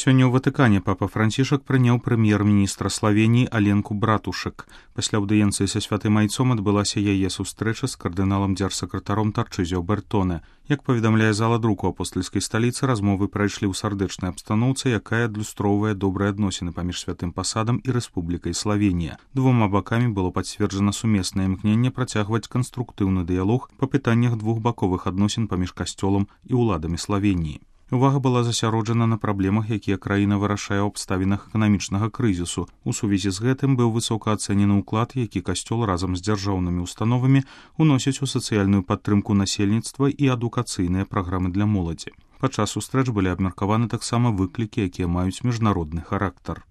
Сёння ў Ватыкане папа Францішак прыняў прэм'ер-міністра Славеніі Аленку Братушек. Пасля аўдыенцыі са святым айцом адбылася яе сустрэча з кардыналам дзяржсакратаром Тарчызіо Бертоне. Як паведамляе зала друку апостальскай сталіцы, размовы прайшлі ў сардэчнай абстаноўцы, якая адлюстроўвае добрыя адносіны паміж святым пасадам і Рэспублікай Славенія. Двума бакамі было пацверджана сумеснае імкненне працягваць канструктыўны дыялог па пытаннях двухбаковых адносін паміж касцёлам і ўладамі Славеніі. Увага была засяроджана на праблемах, якія краіна вырашае ў абставінах эканамічнага крызісу. У сувязі з гэтым быў высока ацэнены ўклад, які касцёл разам з дзяржаўнымі установамі уносіць у сацыяльную падтрымку насельніцтва і адукацыйныя праграмы для моладзі. Падчас сустрэч былі абмеркаваны таксама выклікі, якія маюць міжнародны характар.